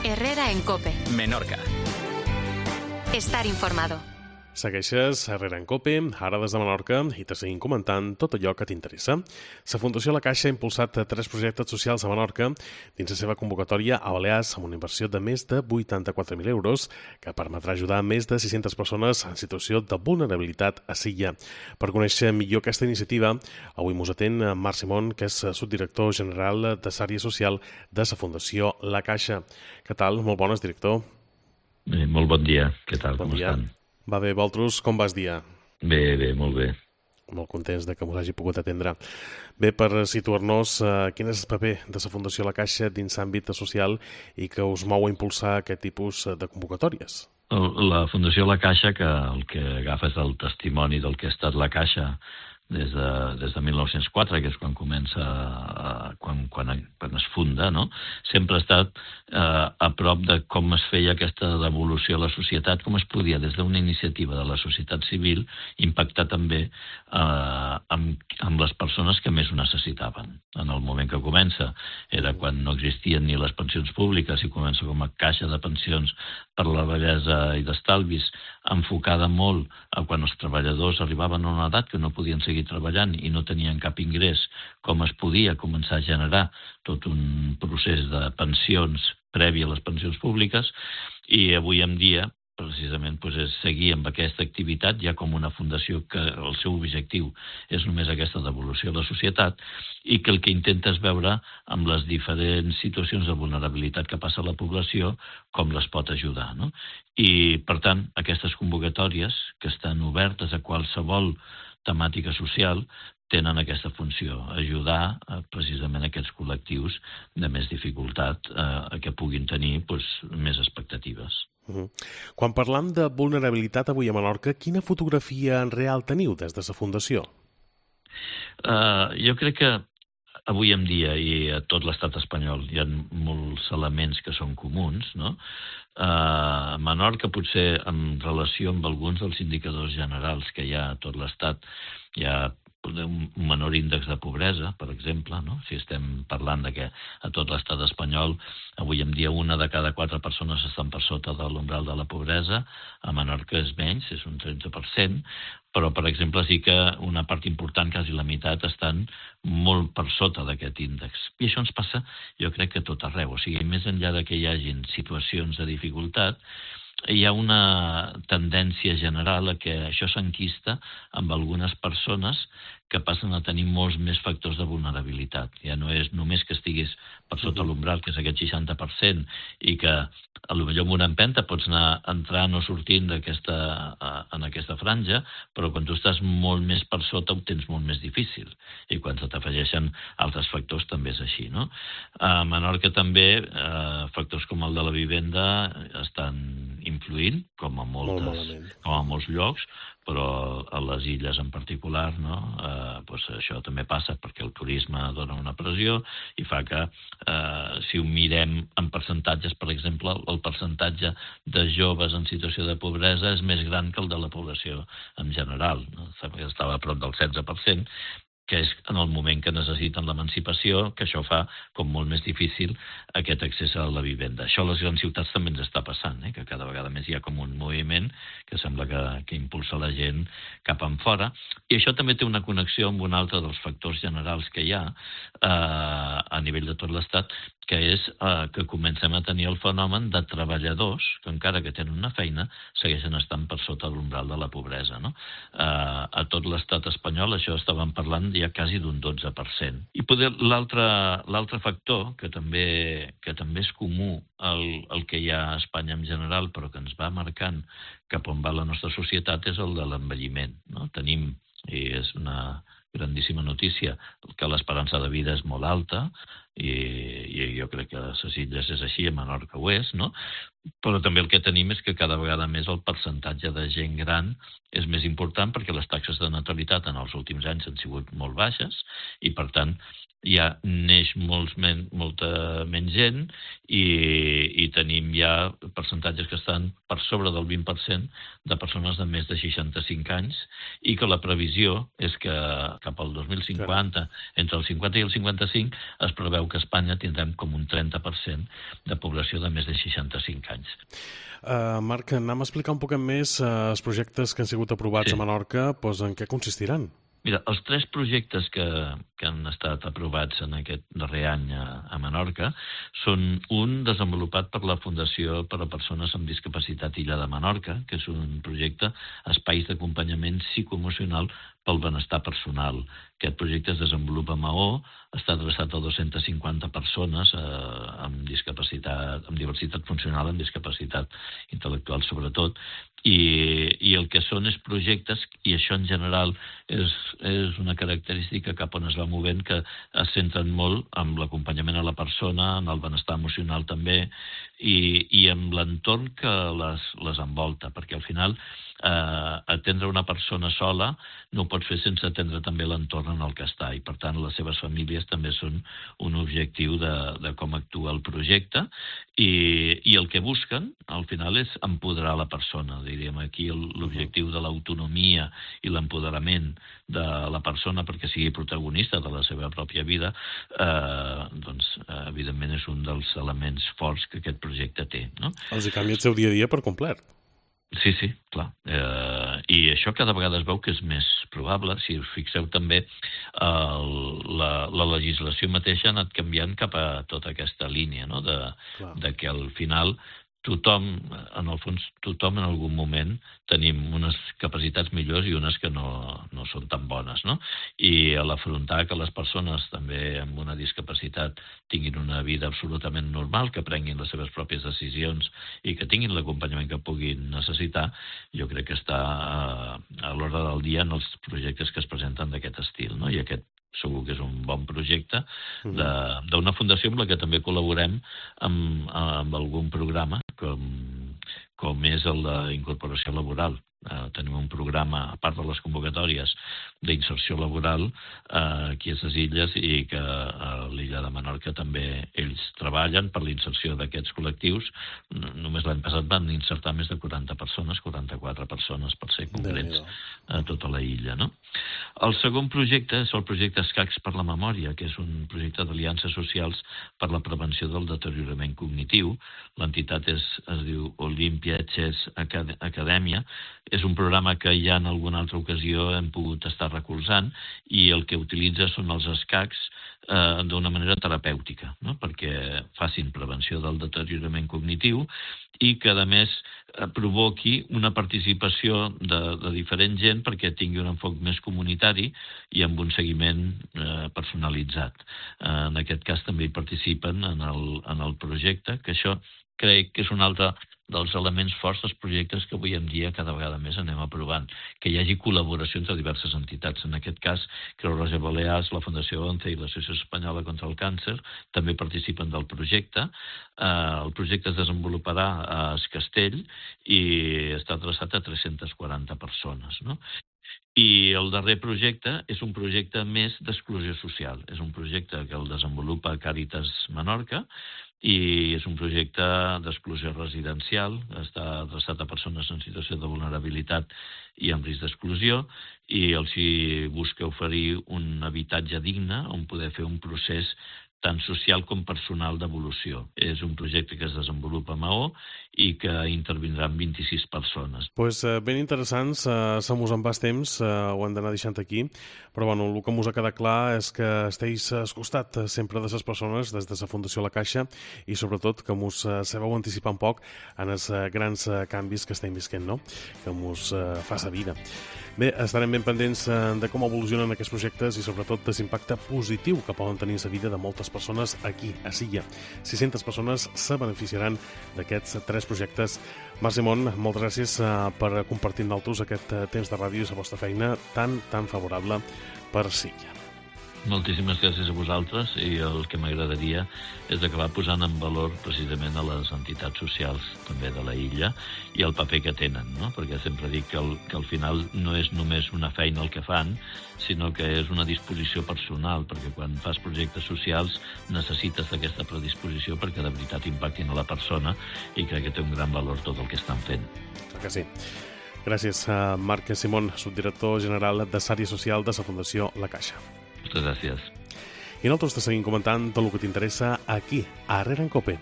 Herrera en COPE. Menorca. Estar informado. Segueixes Herrera en COPE, ara des de Menorca, i te seguim comentant tot allò que t'interessa. La Fundació La Caixa ha impulsat 3 projectes socials a Menorca dins la seva convocatòria a Balears amb una inversió de més de 84.000 euros que permetrà ajudar més de 600 persones en situació de vulnerabilitat a Silla. Per conèixer millor aquesta iniciativa, avui mos atén Marc Simón, que és subdirector general de l'àrea social de la Fundació La Caixa. Què tal? Molt bones, director. Molt bon dia. Què tal? Com estan? Va bé, vosaltres, com vas dia? Bé, molt bé. Molt contents de que m'ho hagi pogut atendre. Bé, per situar-nos, quin és el paper de la Fundació La Caixa dins l'àmbit social i que us mou a impulsar aquest tipus de convocatòries? La Fundació La Caixa, que el que agafa és el testimoni del que ha estat la Caixa des de 1904, que és quan comença, quan es funda, no? Sempre ha estat a prop de com es feia aquesta devolució a la societat, com es podia, des d'una iniciativa de la societat civil, impactar també amb les persones que més ho necessitaven. En el moment que comença era quan no existien ni les pensions públiques i comença com a caixa de pensions per la vellesa i d'estalvis, enfocada molt a quan els treballadors arribaven a una edat que no podien seguir treballant i no tenien cap ingrés, com es podia començar a generar tot un procés de pensions previ a les pensions públiques, i avui en dia precisament és seguir amb aquesta activitat ja com una fundació que el seu objectiu és només aquesta devolució a la societat i que el que intenta és veure amb les diferents situacions de vulnerabilitat que passa a la població com les pot ajudar, no? I, per tant, aquestes convocatòries que estan obertes a qualsevol temàtica social tenen aquesta funció, ajudar precisament aquests col·lectius de més dificultat que puguin tenir més expectatives. Quan parlam de vulnerabilitat avui a Menorca, quina fotografia en real teniu des de la Fundació? Jo crec que avui en dia i a tot l'estat espanyol hi ha molts elements que són comuns, no? A Menorca, potser en relació amb alguns dels indicadors generals que hi ha a tot l'estat, hi ha un menor índex de pobresa, per exemple, no? Si estem parlant de que a tot l'estat espanyol avui en dia 1 de cada 4 persones estan per sota de l'umbral de la pobresa, a Menorca és menys, és un 13%, però, per exemple, sí que una part important, quasi la meitat, estan molt per sota d'aquest índex. I això ens passa, jo crec que a tot arreu. O sigui, més enllà de que hi hagin situacions de dificultat, hi ha una tendència general a que això s'enquista amb algunes persones que passen a tenir molts més factors de vulnerabilitat. Ja no és només que estiguis per sota l'umbral, que és aquest 60%, i que potser amb una empenta pots anar entrant o sortint en aquesta franja, però quan tu estàs molt més per sota ho tens molt més difícil. I quan se t'afegeixen altres factors també és així, no? A Menorca també factors com el de la vivenda estan influint, com a molts llocs, però a les illes en particular, no? Això també passa perquè el turisme dona una pressió i fa que, si ho mirem en percentatges, per exemple, el percentatge de joves en situació de pobresa és més gran que el de la població en general, no? Estava a prop del 16%, que és en el moment que necessiten l'emancipació, que això fa com molt més difícil aquest accés a la vivenda. Això a les grans ciutats també ens està passant, que cada vegada més hi ha com un moviment que sembla que impulsa la gent cap enfora. I això també té una connexió amb un altre dels factors generals que hi ha a nivell de tot l'Estat, que és que comencem a tenir el fenomen de treballadors que, encara que tenen una feina, segueixen estant per sota l'umbral de la pobresa, no? A tot l'estat espanyol això estàvem parlant ja quasi d'un 12%. I l'altre factor, que també és comú al que hi ha a Espanya en general, però que ens va marcant cap on va la nostra societat, és el de l'envelliment, no? Tenim, i és una grandíssima notícia, que l'esperança de vida és molt alta, i jo crec que a les illes és així, a Menorca ho és, no? Però també el que tenim és que cada vegada més el percentatge de gent gran és més important perquè les taxes de natalitat en els últims anys han sigut molt baixes i, per tant, ja neix molta menys gent i tenim ja percentatges que estan per sobre del 20% de persones de més de 65 anys i que la previsió és que cap al 2050, entre el 50 i el 55, es preveu que a Espanya tindrem com un 30% de població de més de 65 anys. Marc, anem a explicar un poc més els projectes que han sigut aprovats a Menorca, doncs en què consistiran? Mira, els 3 projectes que han estat aprovats en aquest darrer any a Menorca són un desenvolupat per la Fundació per a Persones amb Discapacitat Illa de Menorca, que és un projecte espais d'acompanyament psicoemocional pel benestar personal. Aquest projecte es desenvolupa a Maó, està adreçat a 250 persones amb discapacitat, amb diversitat funcional, amb discapacitat intel·lectual sobretot, i el que són és projectes, i això en general és una característica cap on es va movent, que es centren molt en l'acompanyament a la persona, en el benestar emocional també, i en l'entorn que les envolta, perquè al final atendre una persona sola no ho pot fer sense atendre també l'entorn en el que està, i per tant les seves famílies també són un objectiu de com actua el projecte, i el que busquen al final és empoderar la persona. Diríem aquí l'objectiu de l'autonomia i l'empoderament de la persona perquè sigui protagonista de la seva pròpia vida, doncs evidentment és un dels elements forts que aquest projecte té, no? Els hi canvia el seu dia a dia per complet. Sí, clar. I això cada vegada es veu que és més probable. Si us fixeu també, la legislació mateixa ha anat canviant cap a tota aquesta línia, no? De que al final tothom, en el fons, tothom en algun moment tenim unes capacitats millors i unes que no són tan bones, no? I a l'afrontar que les persones també amb una discapacitat tinguin una vida absolutament normal, que prenguin les seves pròpies decisions i que tinguin l'acompanyament que puguin necessitar, jo crec que està a l'ordre del dia en els projectes que es presenten d'aquest estil, no? I aquest segur que és un bon projecte d'una fundació amb la que també col·laborem amb algun programa com és el d'incorporació laboral. Tenim un programa, a part de les convocatòries, d'inserció laboral aquí a les illes, i que a l'illa de Menorca també ells treballen per l'inserció d'aquests col·lectius. Només l'any passat van insertar més de 40 persones, 44 persones per ser concrets, a tota la illa, no? El segon projecte és el projecte Escacs per la Memòria, que és un projecte d'aliances socials per la prevenció del deteriorament cognitiu. L'entitat es diu Olympia Chess Acadèmia. És un programa que ja en alguna altra ocasió hem pogut estar recolzant, i el que utilitza són els escacs d'una manera terapèutica, no? Perquè facin prevenció del deteriorament cognitiu i que, a més, provoqui una participació de diferent gent perquè tingui un enfoc més comunitari i amb un seguiment personalitzat. En aquest cas també hi participen en el projecte, que això crec que és un altre dels elements forts dels projectes que avui en dia cada vegada més anem aprovant, que hi hagi col·laboració entre diverses entitats. En aquest cas, Creu Roja Balears, la Fundació ONCE i l'Associació Espanyola contra el Càncer també participen del projecte. El projecte es desenvoluparà a Es Castell i està adreçat a 340 persones, no? I el darrer projecte és un projecte més d'exclusió social. És un projecte que el desenvolupa Càritas Menorca, i és un projecte d'exclusió residencial, està adreçat a persones en situació de vulnerabilitat i amb risc d'exclusió, i els hi busca oferir un habitatge digne on poder fer un procés tant social com personal d'evolució. És un projecte que es desenvolupa a Maó i que intervindran 26 persones. Doncs ben interessants, se mos en va temps, ho hem d'anar deixant aquí, però bueno, el que mos ha quedat clar és que esteu al costat sempre de les persones des de la Fundació La Caixa, i sobretot que mos sabeu anticipar un poc en els grans canvis que estem visquent, no? Que mos fa la vida. Bé, estarem ben pendents de com evolucionen aquests projectes i sobretot de l'impacte positiu que poden tenir en la vida de moltes persones aquí, a Silla. 600 persones se beneficiaran d'aquests 3 projectes. Marc Simón, moltes gràcies per compartir amb nosaltres aquest temps de ràdio i la vostra feina tan favorable per Silla. Moltíssimes gràcies a vosaltres, i el que m'agradaria és acabar posant en valor precisament a les entitats socials també de la illa i el paper que tenen, no? Perquè sempre dic que al final no és només una feina el que fan, sinó que és una disposició personal, perquè quan fas projectes socials necessites aquesta predisposició perquè de veritat impactin a la persona, i crec que té un gran valor tot el que estan fent. Clar que sí. Gràcies a Marc Simón, subdirector general de Sària Social de la Fundació La Caixa. Moltes gràcies. I nosaltres te seguim comentant tot el que t'interessa aquí, a Herrera en Cope.